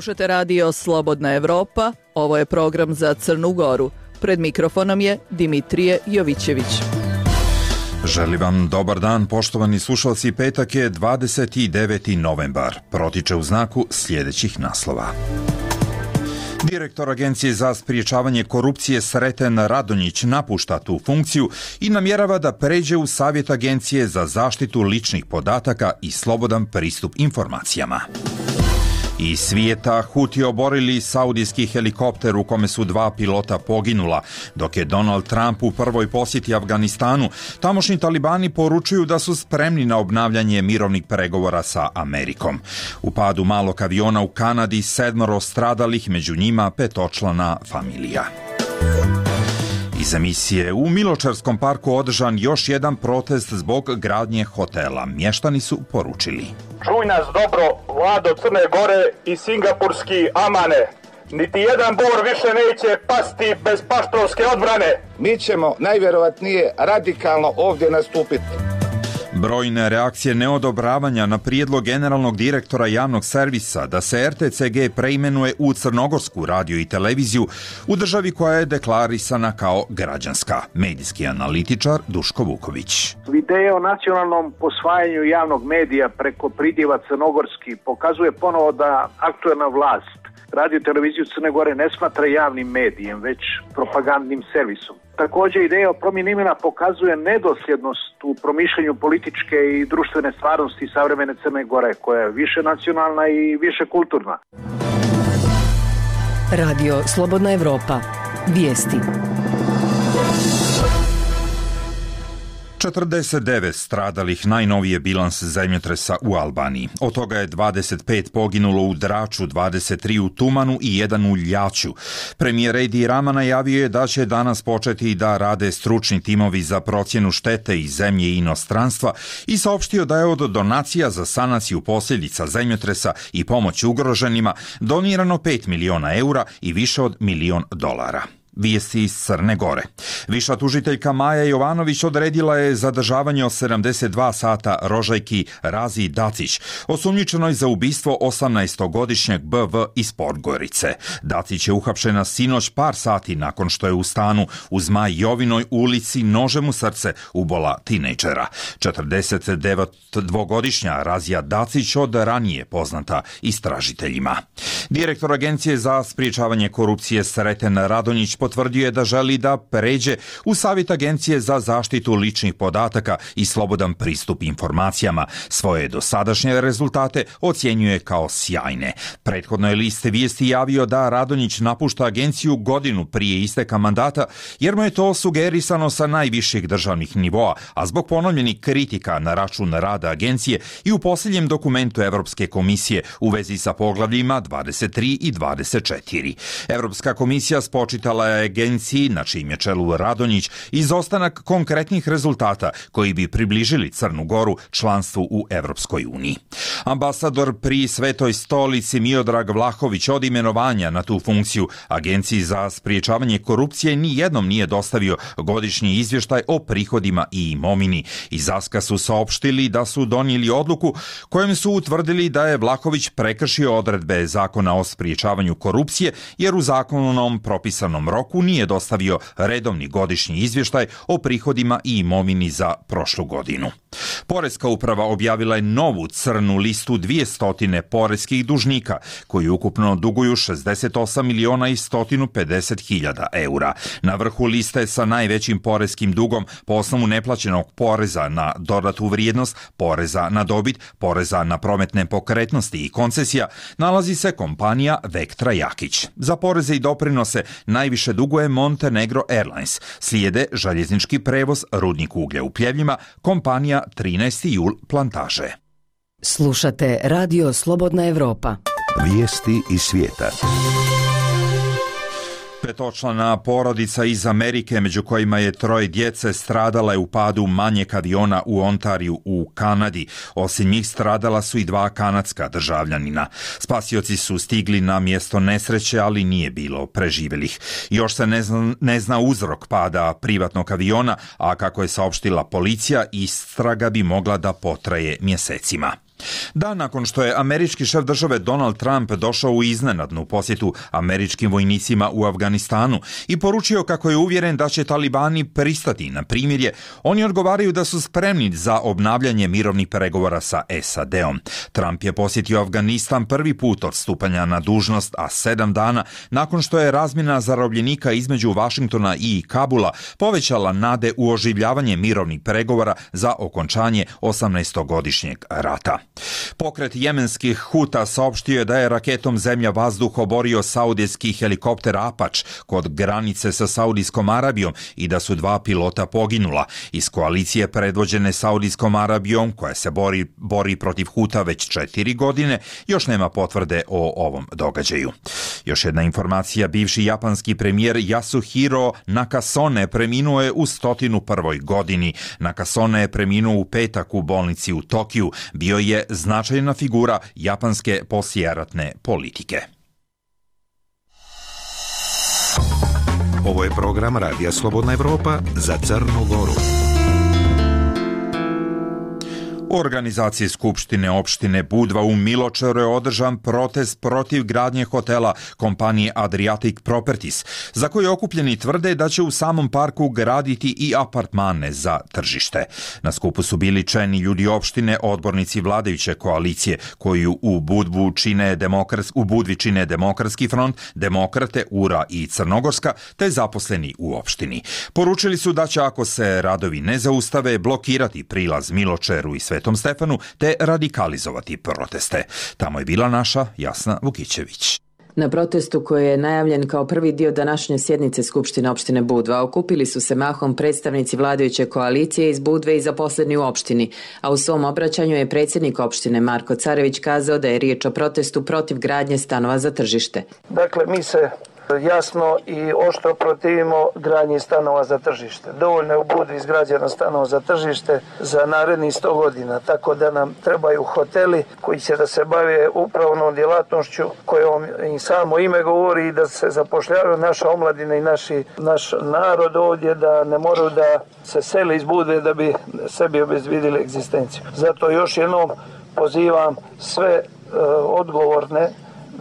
Slušate radio Slobodna Evropa, ovo je program za Crnu Goru. Pred mikrofonom je Dimitrije Jovićević. Želim vam dobar dan, poštovani slušalci. Petak je 29. novembar. Protiče u znaku sljedećih naslova. Direktor Agencije za spriječavanje korupcije Sreten Radonjić napušta tu funkciju i namjerava da pređe u Savjet Agencije za zaštitu ličnih podataka i slobodan pristup informacijama. Iz svijeta, Huti oborili saudijski helikopter u kome su 2 pilota poginula. Dok je Donald Trump u prvoj posjeti Afganistanu, tamošnji talibani poručuju da su spremni na obnavljanje mirovnih pregovora sa Amerikom. U padu malog aviona u Kanadi 7 stradalih, među njima 5-člana familija. Iz emisije, u Miločarskom parku održan još jedan protest zbog gradnje hotela. Mještani su poručili: čuj nas dobro, Vlado Crne Gore i singapurski Amane. Niti jedan bor više neće pasti bez paštovske odbrane. Mi ćemo najvjerovatnije radikalno ovdje nastupiti. Brojne reakcije neodobravanja na prijedlog generalnog direktora javnog servisa da se RTCG preimenuje u crnogorsku radio i televiziju u državi koja je deklarisana kao građanska. Medijski analitičar Duško Vuković. Ideja o nacionalnom posvajanju javnog medija preko pridjeva crnogorski pokazuje ponovo da aktualna vlast radio i televiziju Crne Gore ne smatra javnim medijem, već propagandnim servisom. Također, ideja o promjeni imena pokazuje nedosljednost u promišljanju političke i društvene stvarnosti savremene Crne Gore, koja je više nacionalna i više kulturna. Radio Slobodna Evropa. Vijesti. 49 stradalih, najnoviji je bilans zemljotresa u Albaniji. Od toga je 25 poginulo u Draču, 23 u Tumanu i 1 u Ljaču. Premijer Edi Rama najavio je da će danas početi da rade stručni timovi za procjenu štete iz zemlje i inostranstva i saopštio da je od donacija za sanaciju posljedica zemljotresa i pomoć ugroženima donirano 5 miliona eura i više od $1 milion. Vijesti iz Crne Gore. Viša tužiteljka Maja Jovanović odredila je zadržavanje od 72 sata rožajki Razi Dacić, osumnjičenoj za ubistvo 18-godišnjeg BV iz Podgorice. Dacić je uhapšena sinoć par sati nakon što je u stanu u Zmaj Jovinoj ulici nožem u srce ubola tinejdžera. 49-godišnja Razija Dacić od ranije poznata istražiteljima. Direktor Agencije za spriječavanje korupcije Sreten Radonjić potvrdio je da želi da pređe u Savjet Agencije za zaštitu ličnih podataka i slobodan pristup informacijama. Svoje dosadašnje rezultate ocjenjuje kao sjajne. Prethodno je list vijesti javio da Radonjić napušta agenciju godinu prije isteka mandata, jer mu je to sugerisano sa najviših državnih nivoa, a zbog ponovljenih kritika na račun rada agencije i u posljednjem dokumentu Evropske komisije u vezi sa poglavljima 23 i 24. Evropska komisija spočitala je agenciji, na čijem je čelu Radonjić, izostanak konkretnih rezultata koji bi približili Crnu Goru članstvu u Evropskoj uniji. Ambasador pri Svetoj stolici Miodrag Vlahović od imenovanja na tu funkciju Agenciji za spriječavanje korupcije nijednom nije dostavio godišnji izvještaj o prihodima i imovini. Iz Aska su saopštili da su donijeli odluku kojom su utvrdili da je Vlahović prekršio odredbe Zakona o spriječavanju korupcije, jer u zakonom propisanom roku nije dostavio redovni godišnji izvještaj o prihodima i imovini za prošlu godinu. Poreska uprava objavila je novu crnu listu 200 poreskih dužnika, koji ukupno duguju 68 miliona i 150 hiljada eura. Na vrhu liste sa najvećim poreskim dugom po osnovu neplaćenog poreza na dodatu vrijednost, poreza na dobit, poreza na prometne pokretnosti i koncesija nalazi se kompanija Vektra Jakić. Za poreze i doprinose najviše duguje Montenegro Airlines, slijede željeznički prevoz, rudnik uglja u Pljevljima, kompanija 13. jul Plantaže. Slušate Radio Slobodna Evropa. Vijesti iz svijeta. 5-člana porodica iz Amerike, među kojima je 3 djece, stradala je u padu manjeg aviona u Ontariju u Kanadi. Osim njih stradala su i 2 kanadska državljanina. Spasioci su stigli na mjesto nesreće, ali nije bilo preživjelih. Još se ne zna uzrok pada privatnog aviona, a kako je saopštila policija, istraga bi mogla da potraje mjesecima. Dan nakon što je američki šef države Donald Trump došao u iznenadnu posjetu američkim vojnicima u Afganistanu i poručio kako je uvjeren da će talibani pristati na primirje, oni odgovaraju da su spremni za obnavljanje mirovnih pregovora sa SAD-om. Trump je posjetio Afganistan prvi put od stupanja na dužnost, a 7 dana nakon što je razmjena zarobljenika između Vašingtona i Kabula povećala nade u oživljavanje mirovnih pregovora za okončanje 18-godišnjeg rata. Pokret jemenskih Huta saopštio je da je raketom zemlja-vazduh oborio saudijski helikopter Apač kod granice sa Saudijskom Arabijom i da su 2 pilota poginula. Iz koalicije predvođene Saudijskom Arabijom, koja se bori protiv Huta već 4 godine, još nema potvrde o ovom događaju. Još jedna informacija, bivši japanski premijer Yasuhiro Nakasone preminuo je u 101. godini. Nakasone je preminuo u petak u bolnici u Tokiju. Bio je značajna figura japanske poslijeratne politike. Ovo je program Radija Slobodna Evropa za Crnu Goru. U organizaciji Skupštine opštine Budva u Miločeru je održan protest protiv gradnje hotela kompanije Adriatic Properties, za koje okupljeni tvrde da će u samom parku graditi i apartmane za tržište. Na skupu su bili čelni ljudi opštine, odbornici vladajuće koalicije, koju u Budvi čine Demokratski front, Demokrate, URA i Crnogorska, te zaposleni u opštini. Poručili su da će, ako se radovi ne zaustave, blokirati prilaz Miločeru i Svetom Stefanu te radikalizovati proteste. Tamo je bila naša Jasna Vukićević. Na protestu koji je najavljen kao prvi dio današnje sjednice Skupštine opštine Budva okupili su se mahom predstavnici vladajuće koalicije iz Budve i zaposleni u opštini, a u svom obraćanju je predsjednik opštine Marko Carević kazao da je riječ o protestu protiv gradnje stanova za tržište. Dakle, mi se jasno i oštro protivimo gradnji stanova za tržište. Dovoljno je u Budvi izgrađeno stanova za tržište za narednih 100 godina, tako da nam trebaju hoteli koji će da se bave upravnom djelatnošću kojom i samo ime govori i da se zapošljavaju naša omladina i naš narod ovdje, da ne moraju da se seli iz Budve da bi sebi obezbjedili egzistenciju. Zato još jednom pozivam sve odgovorne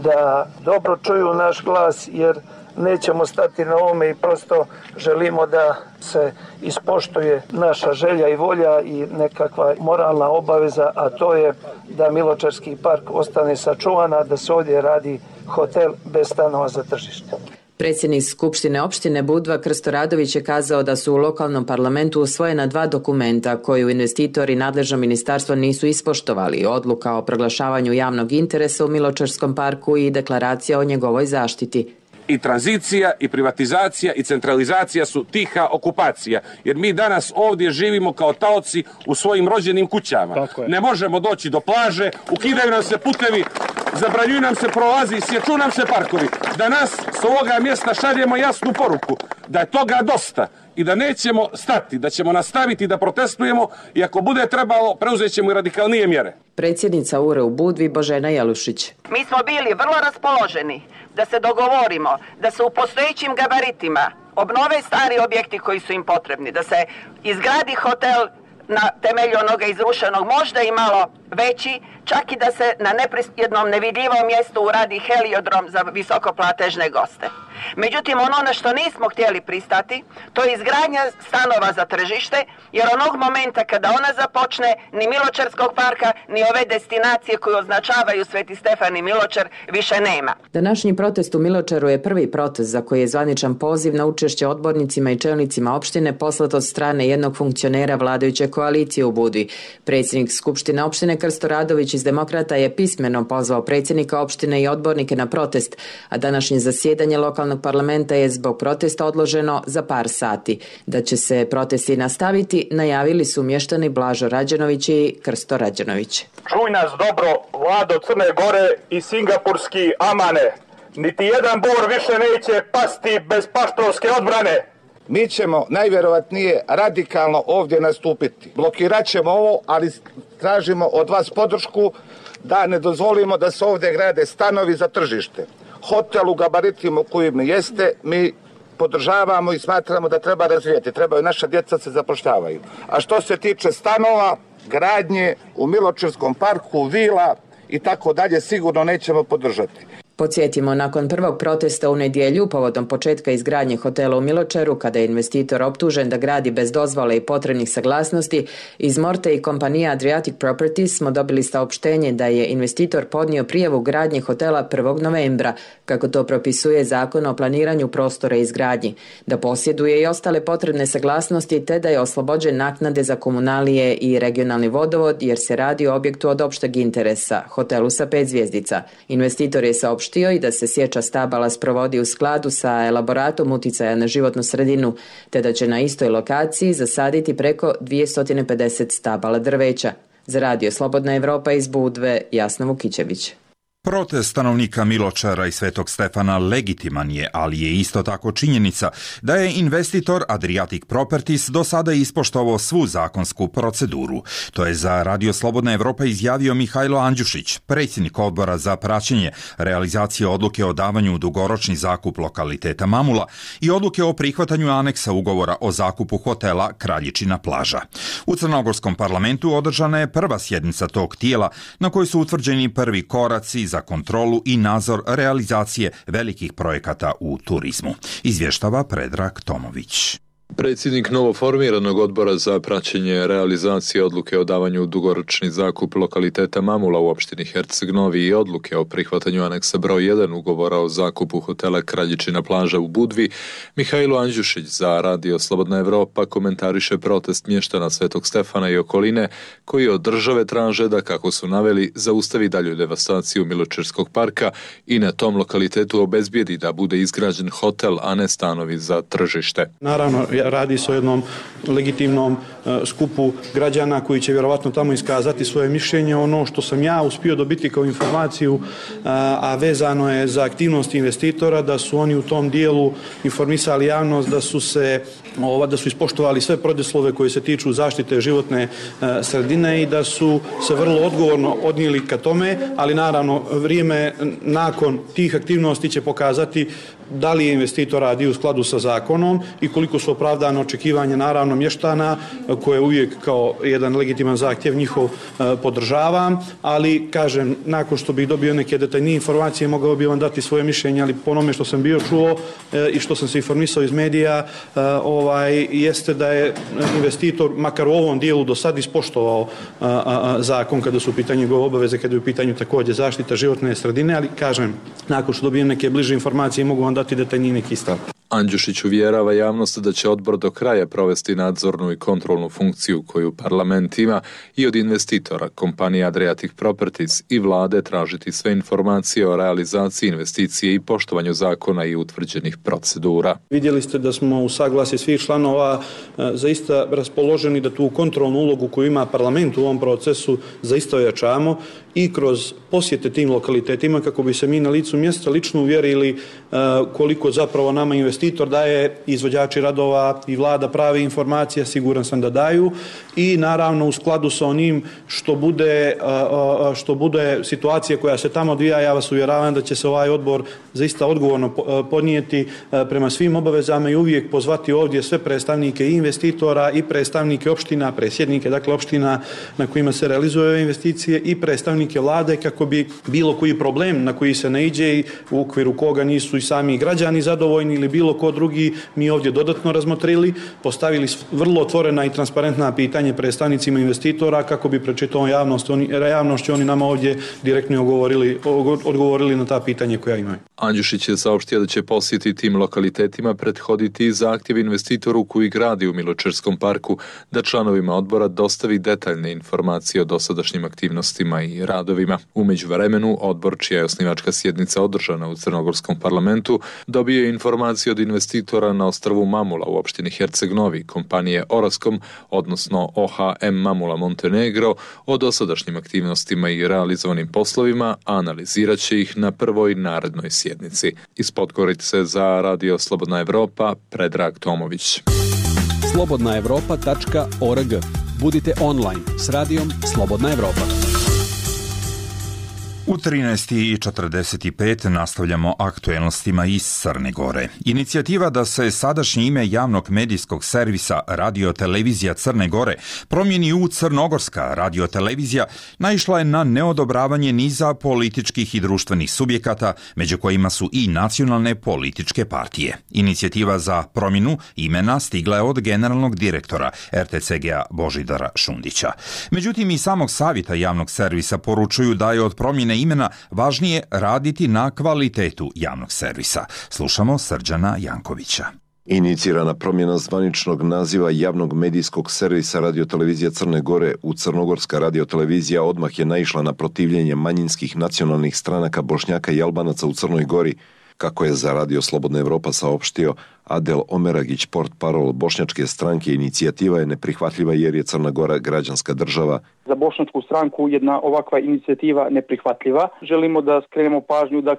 da dobro čuju naš glas, jer nećemo stati na ovome i prosto želimo da se ispoštuje naša želja i volja i nekakva moralna obaveza, a to je da Miločarski park ostane sačuvana, da se ovdje radi hotel bez stanova za tržište. Predsjednik Skupštine opštine Budva Krsto Radović je kazao da su u lokalnom parlamentu usvojena 2 dokumenta koju investitori i nadležno ministarstvo nisu ispoštovali: odluka o proglašavanju javnog interesa u Miločarskom parku i deklaracija o njegovoj zaštiti. I tranzicija, i privatizacija, i centralizacija su tiha okupacija. Jer mi danas ovdje živimo kao taoci u svojim rođenim kućama. Ne možemo doći do plaže, ukidaju nam se putevi, zabranjuju nam se prolazi, sječu nam se parkovi. Danas s ovoga mjesta šaljemo jasnu poruku da je toga dosta i da nećemo stati, da ćemo nastaviti da protestujemo i ako bude trebalo preuzet ćemo i radikalnije mjere. Predsjednica URE u Budvi Božena Jelušić. Mi smo bili vrlo raspoloženi da se dogovorimo, da se u postojećim gabaritima obnove stari objekti koji su im potrebni, da se izgradi hotel na temelju onoga izrušenog, možda i malo veći, čak i da se na jednom nevidljivom mjestu uradi heliodrom za visokoplatežne goste. Međutim, ono na što nismo htjeli pristati, to je izgradnja stanova za tržište, jer onog momenta kada ona započne, ni Miločarskog parka, ni ove destinacije koje označavaju Sveti Stefan i Miločar više nema. Današnji protest u Miločaru je prvi protest za koji je zvaničan poziv na učešće odbornicima i čelnicima opštine poslat od strane jednog funkcionera vladajuće koalicije u Budvi. Predsjednik Skupštine opštine Krsto Radović iz Demokrata je pismeno pozvao predsjednika opštine i odbornike na protest, a današnje zasjedanje lokalnog parlamenta je zbog protesta odloženo za par sati. Da će se protesti nastaviti, najavili su mještani Blažo Rađenović i Krsto Rađenović. Čuj nas dobro, Vlado Crne Gore i singapurski Amane. Niti jedan bor više neće pasti bez paštovske odbrane. Mi ćemo najvjerovatnije radikalno ovdje nastupiti. Blokirat ćemo ovo, ali tražimo od vas podršku da ne dozvolimo da se ovdje grade stanovi za tržište. Hotel u gabaritima u kojim jeste, mi podržavamo i smatramo da treba razvijeti. Trebaju naša djeca se zapošljavaju. A što se tiče stanova, gradnje u Miločerskom parku, vila i tako dalje sigurno nećemo podržati. Podsjetimo, nakon prvog protesta u nedjelju povodom početka izgradnje hotela u Miločeru, kada je investitor optužen da gradi bez dozvole i potrebnih saglasnosti, iz Morte i kompanija Adriatic Properties smo dobili saopštenje da je investitor podnio prijavu gradnje hotela 1. novembra, kako to propisuje Zakon o planiranju prostora i izgradnji, da posjeduje i ostale potrebne saglasnosti te da je oslobođen naknade za komunalije i regionalni vodovod jer se radi o objektu od opšteg interesa, hotelu sa 5 zvjezdica. Investitor je saopštio i da se sječa stabala sprovodi u skladu sa elaboratom uticaja na životnu sredinu, te da će na istoj lokaciji zasaditi preko 250 stabala drveća. Za Radio Slobodna Evropa iz Budve, Jasna Vukićević. Protest stanovnika Miločara i Svetog Stefana legitiman je, ali je isto tako činjenica da je investitor Adriatic Properties do sada ispoštovao svu zakonsku proceduru. To je za Radio Slobodna Evropa izjavio Mihajlo Andjušić, predsjednik odbora za praćenje realizacije odluke o davanju u dugoročni zakup lokaliteta Mamula i odluke o prihvatanju aneksa ugovora o zakupu hotela Kraljičina plaža. U Crnogorskom parlamentu održana je prva sjednica tog tijela na kojoj su utvrđeni prvi koraci za kontrolu i nadzor realizacije velikih projekata u turizmu. Izvještava Predrag Tomović. Predsjednik novoformiranog odbora za praćenje realizacije odluke o davanju dugoročni zakup lokaliteta Mamula u opštini Herceg Novi i odluke o prihvatanju aneksa broj 1 ugovora o zakupu hotela Kraljičina plaža u Budvi, Mihajlo Andjušić za Radio Slobodna Evropa komentariše protest mještana Svetog Stefana i okoline koji od države traže da, kako su naveli, zaustavi dalju devastaciju Miločerskog parka i na tom lokalitetu obezbijedi da bude izgrađen hotel, a ne stanovi za tržište. Naravno, radi se o jednom legitimnom skupu građana koji će vjerovatno tamo iskazati svoje mišljenje. Ono što sam ja uspio dobiti kao informaciju, a vezano je za aktivnosti investitora, da su oni u tom dijelu informisali javnost da su ispoštovali sve preduslove koji se tiču zaštite životne sredine i da su se vrlo odgovorno odnijeli ka tome, ali naravno vrijeme nakon tih aktivnosti će pokazati da li je investitor radi u skladu sa zakonom i koliko su opravdane očekivanja naravno mještana, koje uvijek kao jedan legitiman zahtjev njihov podržavam, ali kažem, nakon što bih dobio neke detaljnije informacije mogao bih vam dati svoje mišljenje, ali po onome što sam bio čuo i što sam se informisao iz medija, jeste da je investitor makar u ovom dijelu do sad ispoštovao zakon kada su u pitanju njegove obaveze, kada je u pitanju također zaštita životne sredine, ali kažem, nakon što dobijem neke bliže informacije mogu vam dati detaljniji neki stav. Andjušić uvjerava javnost da će odbor do kraja provesti nadzornu i kontrolnu funkciju koju parlament ima i od investitora, kompanije Adriatic Properties i vlade tražiti sve informacije o realizaciji investicije i poštovanju zakona i utvrđenih procedura. Vidjeli ste da smo u saglasju svih članova zaista raspoloženi da tu kontrolnu ulogu koju ima parlament u ovom procesu zaista ojačamo i kroz posjete tim lokalitetima kako bi se mi na licu mjesta lično uvjerili koliko zapravo nama investitor daje, izvođači radova i vlada prave informacije, siguran sam da daju, i naravno u skladu sa onim što bude situacija koja se tamo odvija, ja vas uvjeravam da će se ovaj odbor zaista odgovorno podnijeti prema svim obavezama i uvijek pozvati ovdje sve predstavnike i investitora i predstavnike opština, predsjednike dakle opština na kojima se realizuju ove investicije i predstavnike vlade kako bi bilo koji problem na koji se ne iđe i u okviru koga nisu i sami građani zadovoljni ili bilo ko drugi, mi ovdje dodatno razmotrili, postavili vrlo otvorena i transparentna pitanje predstavnicima investitora kako bi pred čitavom javnošću oni nama ovdje direktno odgovorili na ta pitanja koja imaju. Andjušić je saopštio da će posjeti tim lokalitetima prethoditi zahtjev investitoru koji gradi u Miločerskom parku da članovima odbora dostavi detaljne informacije o dosadašnjim aktivnostima i radovima. U međuvremenu, odbor, čija je osnivačka sjednica održana u Crnogorskom parlamentu, dobio je informacije od investitora na ostrvu Mamula u opštini Herceg Novi, kompanije Orascom, odnosno OHM Mamula Montenegro, o dosadašnjim aktivnostima i realizovanim poslovima, a analizirat će ih na prvoj narednoj sjednici. Iz Podgorice za Radio Slobodna Evropa, Predrag Tomović. slobodnaevropa.org. Budite online s Radijom Slobodna Evropa. U 13:45 nastavljamo aktuelnostima iz Crne Gore. Inicijativa da se sadašnje ime javnog medijskog servisa Radio-televizija Crne Gore promijeni u Crnogorska radio-televizija naišla je na neodobravanje niza političkih i društvenih subjekata, među kojima su i nacionalne političke partije. Inicijativa za promjenu imena stigla je od generalnog direktora RTCG-a Božidara Šundića. Međutim, i samog savjeta javnog servisa poručuju da je od promjene imena važnije raditi na kvalitetu javnog servisa. Slušamo Srđana Jankovića. Inicirana promjena zvaničnog naziva javnog medijskog servisa Radio-televizija Crne Gore u Crnogorska radio-televizija odmah je naišla na protivljenje manjinskih nacionalnih stranaka Bošnjaka i Albanaca u Crnoj Gori, kako je za Radio Slobodna Evropa saopštio Adel Omeragić, portparol bošnjačke stranke. Inicijativa je neprihvatljiva jer je Crna Gora građanska država. Za bošnjačku stranku jedna ovakva inicijativa neprihvatljiva. Želimo da skrenemo pažnju da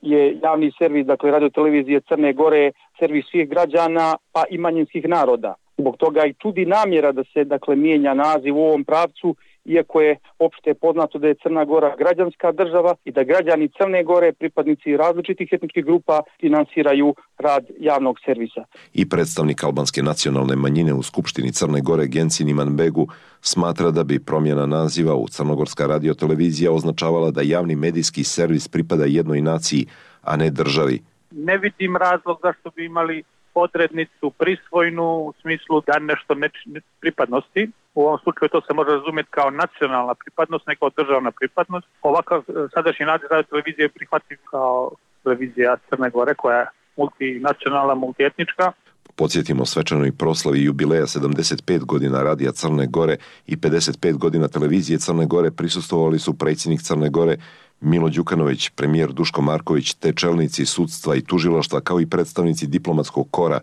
je javni servis, Radio-televizije Crne Gore, servis svih građana pa i manjinskih naroda. Zbog toga i čudi namjera da se mijenja naziv u ovom pravcu, iako je opšte poznato da je Crna Gora građanska država i da građani Crne Gore, pripadnici različitih etničkih grupa, finansiraju rad javnog servisa. I predstavnik albanske nacionalne manjine u Skupštini Crne Gore Gencin Imanbegu smatra da bi promjena naziva u Crnogorska radio-televizija označavala da javni medijski servis pripada jednoj naciji, a ne državi. Ne vidim razlog zašto bi imali odrednicu prisvojnu u smislu da nešto pripadnosti. U ovom slučaju to se može razumjeti kao nacionalna pripadnost, ne kao državna pripadnost. Ovakav sadašnji naziv Radio-televizije je prihvatljiv kao televizija Crne Gore koja je multinacionalna, multietnička. Podsjetimo svečanoj proslavi jubileja 75 godina Radija Crne Gore i 55 godina televizije Crne Gore prisustvovali su predsjednik Crne Gore Milo Đukanović, premijer Duško Marković, te čelnici sudstva i tužilaštva kao i predstavnici diplomatskog kora.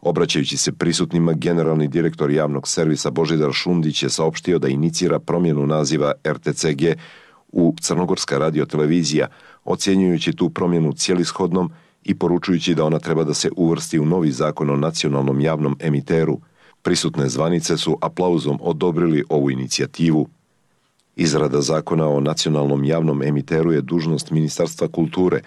Obraćajući se prisutnima, generalni direktor javnog servisa Božidar Šundić je saopštio da inicira promjenu naziva RTCG u Crnogorska radio-televizija, ocjenjujući tu promjenu cijelishodnom i poručujući da ona treba da se uvrsti u novi zakon o nacionalnom javnom emiteru. Prisutne zvanice su aplauzom odobrili ovu inicijativu. Izrada zakona o nacionalnom javnom emiteru je dužnost Ministarstva kulture,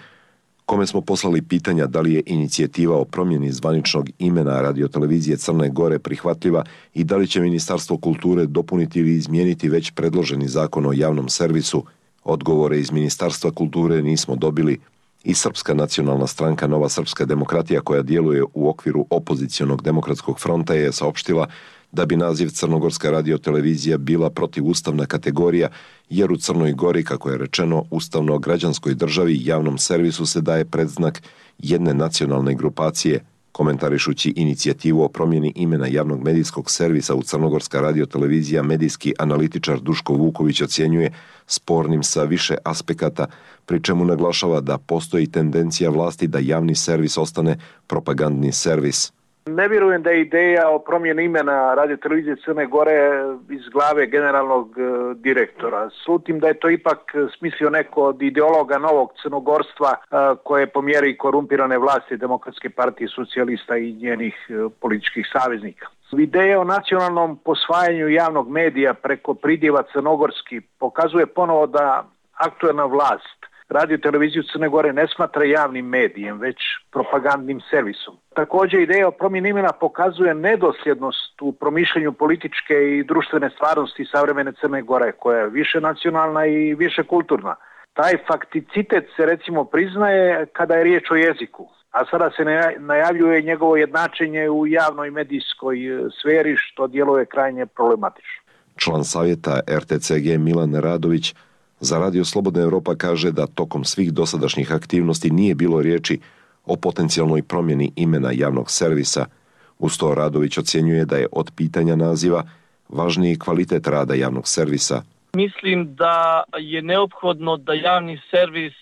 kome smo poslali pitanja da li je inicijativa o promjeni zvaničnog imena Radio-televizije Crne Gore prihvatljiva i da li će Ministarstvo kulture dopuniti ili izmijeniti već predloženi zakon o javnom servisu. Odgovore iz Ministarstva kulture nismo dobili. I Srpska nacionalna stranka Nova srpska demokratija, koja djeluje u okviru opozicionog demokratskog fronta, je saopštila da bi naziv Crnogorska radio-televizija bila protivustavna kategorija, jer u Crnoj Gori, kako je rečeno, ustavno-građanskoj državi javnom servisu se daje predznak jedne nacionalne grupacije. Komentarišući inicijativu o promjeni imena javnog medijskog servisa u Crnogorska radio-televizija, medijski analitičar Duško Vuković ocjenjuje spornim sa više aspekata, pri čemu naglašava da postoji tendencija vlasti da javni servis ostane propagandni servis. Ne vjerujem da je ideja o promjeni imena Radio-televizije Crne Gore iz glave generalnog direktora. Slutim da je to ipak smislio neko od ideologa novog crnogorstva koje po mjeri korumpirane vlasti Demokratske partije socijalista i njenih političkih saveznika. Ideja o nacionalnom posvajanju javnog medija preko pridjeva crnogorski pokazuje ponovo da aktuelna vlast Radio-televiziju Crne Gore ne smatra javnim medijem, već propagandnim servisom. Također, ideja o promjeni imena pokazuje nedosljednost u promišljanju političke i društvene stvarnosti savremene Crne Gore, koja je više nacionalna i više kulturna. Taj fakticitet se recimo priznaje kada je riječ o jeziku, a sada se najavljuje njegovo jednačenje u javnoj medijskoj sferi, što djeluje krajnje problematično. Član savjeta RTCG Milan Radović za Radio Slobodna Evropa kaže da tokom svih dosadašnjih aktivnosti nije bilo riječi o potencijalnoj promjeni imena javnog servisa. Uz to Radović ocjenjuje da je od pitanja naziva važniji kvalitet rada javnog servisa. Mislim da je neophodno da javni servis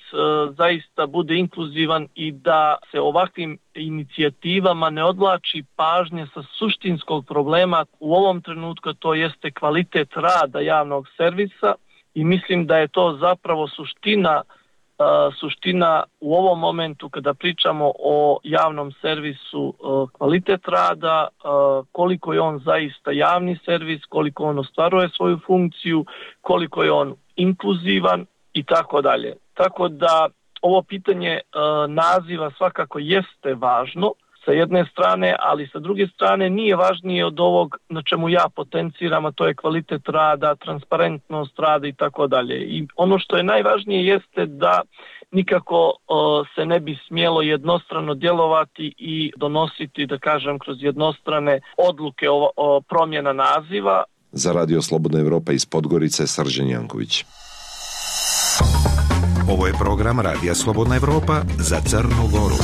zaista bude inkluzivan i da se ovakvim inicijativama ne odvlači pažnje sa suštinskog problema. U ovom trenutku to jeste kvalitet rada javnog servisa. I mislim da je to zapravo suština u ovom momentu kada pričamo o javnom servisu, kvalitet rada, koliko je on zaista javni servis, koliko on ostvaruje svoju funkciju, koliko je on inkluzivan i tako dalje. Tako da ovo pitanje naziva svakako jeste važno sa jedne strane, ali sa druge strane nije važnije od ovog na čemu ja potenciram, a to je kvalitet rada, transparentnost rada i tako dalje. I ono što je najvažnije jeste da nikako se ne bi smjelo jednostrano djelovati i donositi, da kažem, kroz jednostrane odluke o promjena naziva. Za Radio Slobodna Evropa iz Podgorice, Srđan Janković. Ovo je program Radija Slobodna Evropa za Crnu Goru.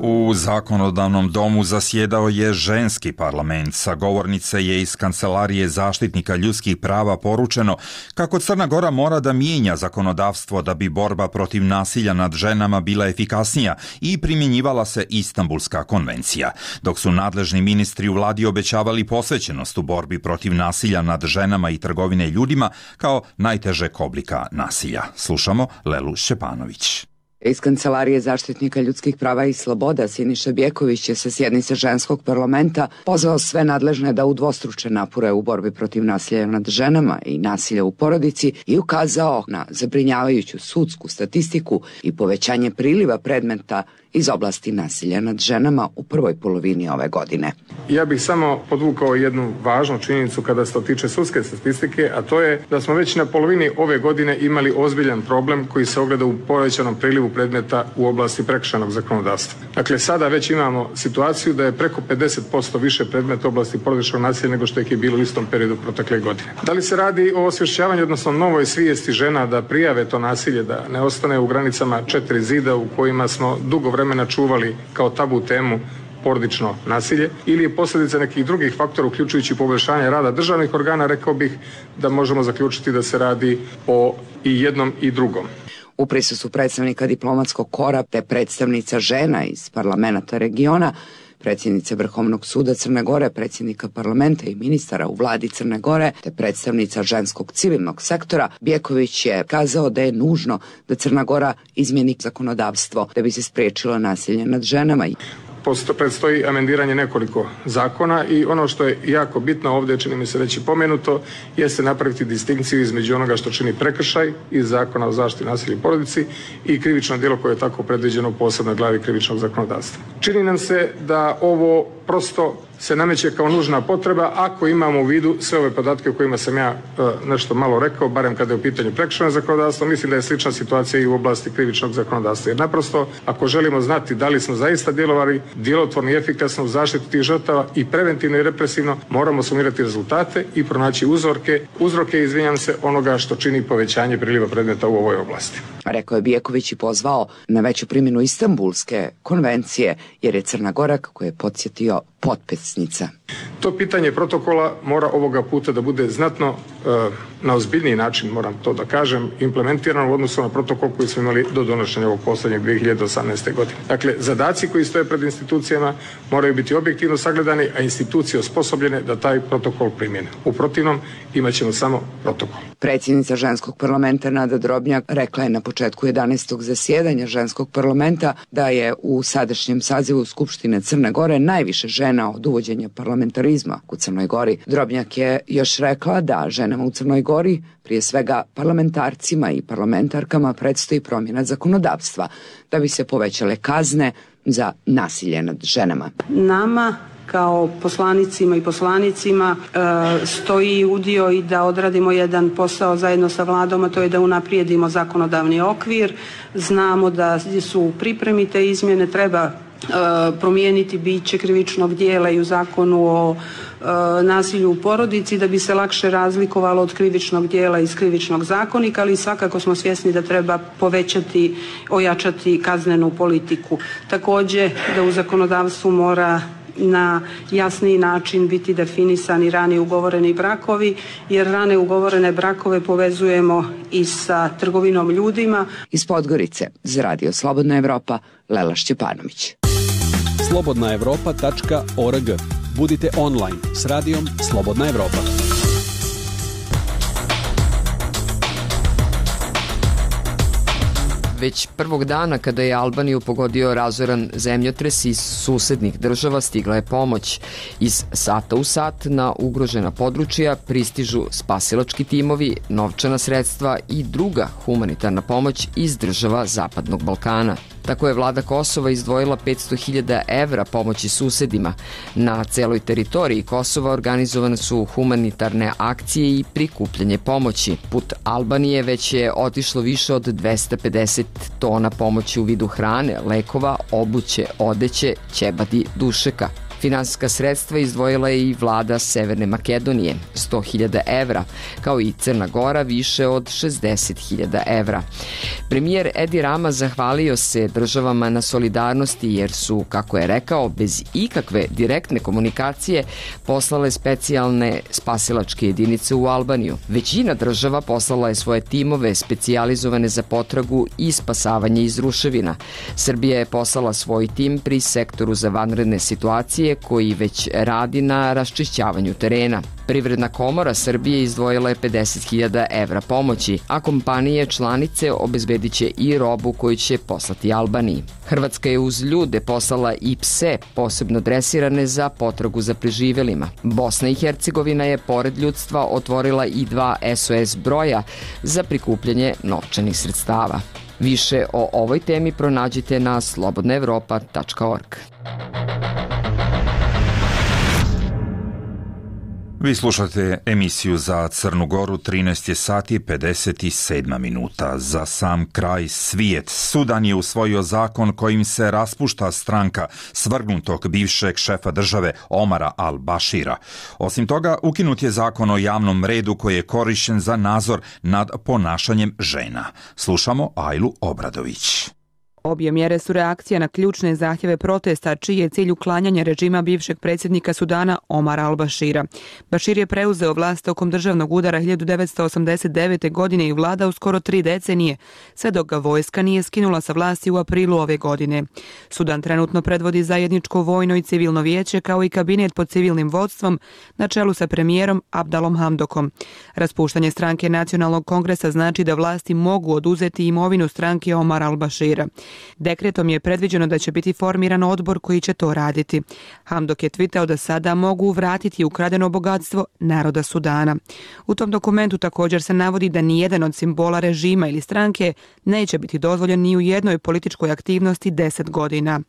U zakonodavnom domu zasjedao je ženski parlament. Sa govornice je iz Kancelarije zaštitnika ljudskih prava poručeno kako Crna Gora mora da mijenja zakonodavstvo da bi borba protiv nasilja nad ženama bila efikasnija i primjenjivala se Istanbulska konvencija, dok su nadležni ministri u vladi obećavali posvećenost u borbi protiv nasilja nad ženama i trgovine ljudima kao najtežeg oblika nasilja. Slušamo Lelu Šćepanović. Iz Kancelarije zaštitnika ljudskih prava i sloboda Siniša Bjeković je sa sjednice ženskog parlamenta pozvao sve nadležne da udvostruče napore u borbi protiv nasilja nad ženama i nasilja u porodici i ukazao na zabrinjavajuću sudsku statistiku i povećanje priliva predmeta iz oblasti nasilja nad ženama u prvoj polovini ove godine. Ja bih samo podvukao jednu važnu činjenicu kada se to tiče sudske statistike, a to je da smo već na polovini ove godine imali ozbiljan problem koji se ogleda u povećanom prilivu predmeta u oblasti prekršajnog zakonodavstva. Dakle, sada već imamo situaciju da je preko 50% više predmeta u oblasti porodičnog nasilja nego što je bilo u istom periodu protekle godine. Da li se radi o osvješćavanju, odnosno novoj svijesti žena da prijave to nasilje, da ne ostane u granicama 4 zida u kojima smo dugo vremena čuvali kao tabu temu porodično nasilje, ili je posljedica nekih drugih faktora uključujući poboljšanje rada državnih organa, rekao bih da možemo zaključiti da se radi o i jednom i drugom. U prisustvu predstavnika diplomatskog kora te predstavnica žena iz parlamenta regiona, predsjednice Vrhovnog suda Crne Gore, predsjednika parlamenta i ministara u vladi Crne Gore, te predstavnica ženskog civilnog sektora, Bjeković je kazao da je nužno da Crna Gora izmjeni zakonodavstvo da bi se spriječilo nasilje nad ženama. Predstoji amendiranje nekoliko zakona i ono što je jako bitno ovdje, čini mi se već i pomenuto, jeste napraviti distinkciju između onoga što čini prekršaj iz Zakona o zaštiti nasilja u porodici i krivično djelo koje je tako predviđeno u posebnoj glavi krivičnog zakonodavstva. Čini nam se da ovo prosto se nameće kao nužna potreba ako imamo u vidu sve ove podatke o kojima sam ja nešto malo rekao, barem kada je u pitanju prekršajnog zakonodavstva. Mislim da je slična situacija i u oblasti krivičnog zakonodavstva. Jer naprosto, ako želimo znati da li smo zaista djelovali djelotvorno i efikasno u zaštiti tih žrtava i preventivno i represivno, moramo sumirati rezultate i pronaći uzroke, izvinjam se, onoga što čini povećanje priliva predmeta u ovoj oblasti. Rekao je Bjeković i pozvao na veću primjenu Istanbulske konvencije, jer je Crna Gora, kako je podsjetio, potpisnica. To pitanje protokola mora ovoga puta da bude znatno na ozbiljniji način, moram to da kažem, implementirano u odnosu na protokol koji smo imali do donošenja ovog posljednjeg 2018. godine. Dakle, zadaci koji stoje pred institucijama moraju biti objektivno sagledani, a institucije osposobljene da taj protokol primjene. U protivnom imat ćemo samo protokol. Predsjednica ženskog parlamenta Nada Drobnjak rekla je na početku 11. zasjedanja ženskog parlamenta da je u sadašnjem sazivu Skupštine Crne Gore najviše žena od uvođenja parlamentarizma u Crnoj Gori. Drobnjak je još rekla da ženama u Crnoj Gori, prije svega parlamentarcima i parlamentarkama, predstoji promjena zakonodavstva da bi se povećale kazne za nasilje nad ženama. Nama kao poslanicima i poslanicima stoji udio i da odradimo jedan posao zajedno sa vladom, a to je da unaprijedimo zakonodavni okvir. Znamo da su u pripremi te izmjene, treba promijeniti biće krivičnog djela i u zakonu o nasilju u porodici da bi se lakše razlikovalo od krivičnog djela iz krivičnog zakonika, ali svakako smo svjesni da treba povećati, ojačati kaznenu politiku. Također da u zakonodavstvu mora na jasniji način biti definisani rani ugovoreni brakovi, jer rane ugovorene brakove povezujemo i sa trgovinom ljudima. Iz Podgorice za Radio Slobodna Evropa, Lela Šćepanović. slobodnaevropa.org. Budite online s radijom Slobodna Evropa. Već prvog dana kada je Albaniju pogodio razoran zemljotres iz susednih država stigla je pomoć. Iz sata u sat na ugrožena područja pristižu spasilački timovi, novčana sredstva i druga humanitarna pomoć iz država Zapadnog Balkana. Tako je vlada Kosova izdvojila 500.000 evra pomoći susedima. Na celoj teritoriji Kosova organizovane su humanitarne akcije i prikupljanje pomoći. Put Albanije već je otišlo više od 250 tona pomoći u vidu hrane, lekova, obuće, odeće, ćebadi, dušeka. Finansijska sredstva izdvojila je i vlada Severne Makedonije, 100.000 evra, kao i Crna Gora više od 60.000 evra. Premijer Edi Rama zahvalio se državama na solidarnosti jer su, kako je rekao, bez ikakve direktne komunikacije poslale specijalne spasilačke jedinice u Albaniju. Većina država poslala je svoje timove specijalizovane za potragu i spasavanje iz ruševina. Srbija je poslala svoj tim pri sektoru za vanredne situacije koji već radi na raščišćavanju terena. Privredna komora Srbije izdvojila je 50.000 evra pomoći, a kompanije članice obezbedit će i robu koju će poslati Albaniji. Hrvatska je uz ljude poslala i pse, posebno dresirane za potragu za preživelima. Bosna i Hercegovina je pored ljudstva otvorila i 2 SOS broja za prikupljanje novčanih sredstava. Više o ovoj temi pronađite na slobodnaevropa.org. Vi slušate emisiju za Crnu Goru, 13 je sati 57 minuta. Za sam kraj svijet. Sudan je usvojio zakon kojim se raspušta stranka svrgnutog bivšeg šefa države Omara al-Bashira. Osim toga, ukinut je zakon o javnom redu koji je korišten za nadzor nad ponašanjem žena. Slušamo Ajlu Obradović. Obje mjere su reakcija na ključne zahtjeve protesta, čiji je cilj uklanjanje režima bivšeg predsjednika Sudana Omara al-Bashira. Bashir je preuzeo vlast tokom državnog udara 1989. godine i vladao skoro 3 decenije, sve dok ga vojska nije skinula sa vlasti u aprilu ove godine. Sudan trenutno predvodi zajedničko vojno i civilno vijeće kao i kabinet pod civilnim vodstvom na čelu sa premijerom Abdalom Hamdokom. Raspuštanje stranke Nacionalnog kongresa znači da vlasti mogu oduzeti imovinu stranke Omara al-Bashira. Dekretom je predviđeno da će biti formiran odbor koji će to raditi. Hamdok je tvitao da sada mogu vratiti ukradeno bogatstvo naroda Sudana. U tom dokumentu također se navodi da nijedan od simbola režima ili stranke neće biti dozvoljen ni u jednoj političkoj aktivnosti 10 godina.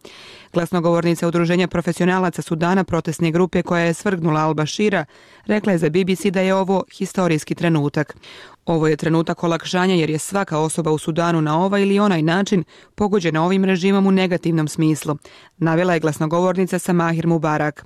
Glasnogovornica Udruženja profesionalaca Sudana, protestne grupe koja je svrgnula al-Bashira, rekla je za BBC da je ovo historijski trenutak. Ovo je trenutak olakšanja jer je svaka osoba u Sudanu na ovaj ili onaj način pogođena ovim režimom u negativnom smislu, navela je glasnogovornica Samahir Mubarak.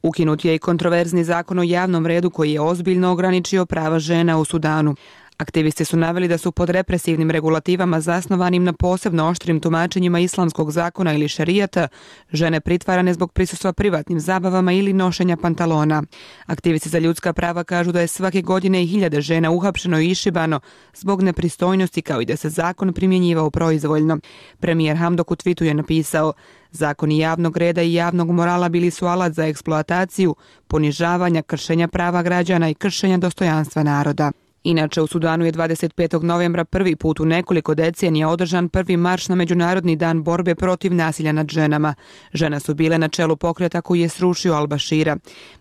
Ukinut je i kontroverzni zakon o javnom redu koji je ozbiljno ograničio prava žena u Sudanu. Aktivisti su naveli da su pod represivnim regulativama zasnovanim na posebno oštrim tumačenjima islamskog zakona ili šerijata žene pritvarane zbog prisustva privatnim zabavama ili nošenja pantalona. Aktivisti za ljudska prava kažu da je svake godine 1000 žena uhapšeno i išibano zbog nepristojnosti, kao i da se zakon primjenjivao proizvoljno. Premijer Hamdok u twitu je napisao: zakoni javnog reda i javnog morala bili su alat za eksploataciju, ponižavanja, kršenja prava građana i kršenja dostojanstva naroda. Inače, u Sudanu je 25. novembra prvi put u nekoliko decenija održan prvi marš na Međunarodni dan borbe protiv nasilja nad ženama. Žene su bile na čelu pokreta koji je srušio al-Bashira.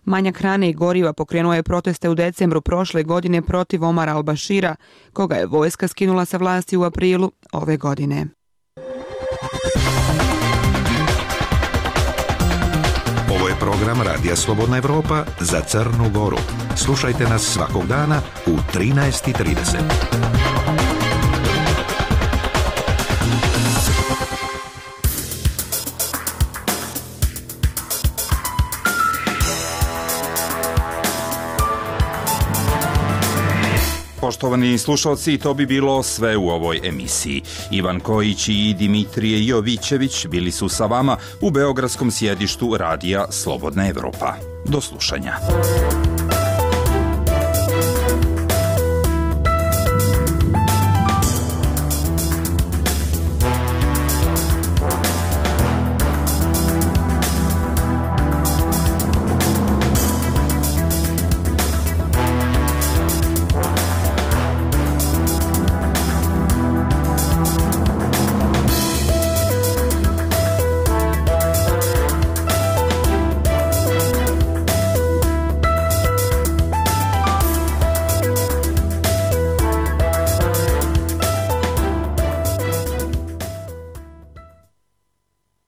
Manjak hrane i goriva pokrenuo je proteste u decembru prošle godine protiv Omara al-Bashira, koga je vojska skinula sa vlasti u aprilu ove godine. Ovo je program Radija Slobodna Evropa za Crnu Goru. Slušajte nas svakog dana u 13:30. Poštovani slušalci, to bi bilo sve u ovoj emisiji. Ivan Kojić i Dimitrije Jovićević bili su sa vama u beogradskom sjedištu Radija Slobodna Evropa. Do slušanja.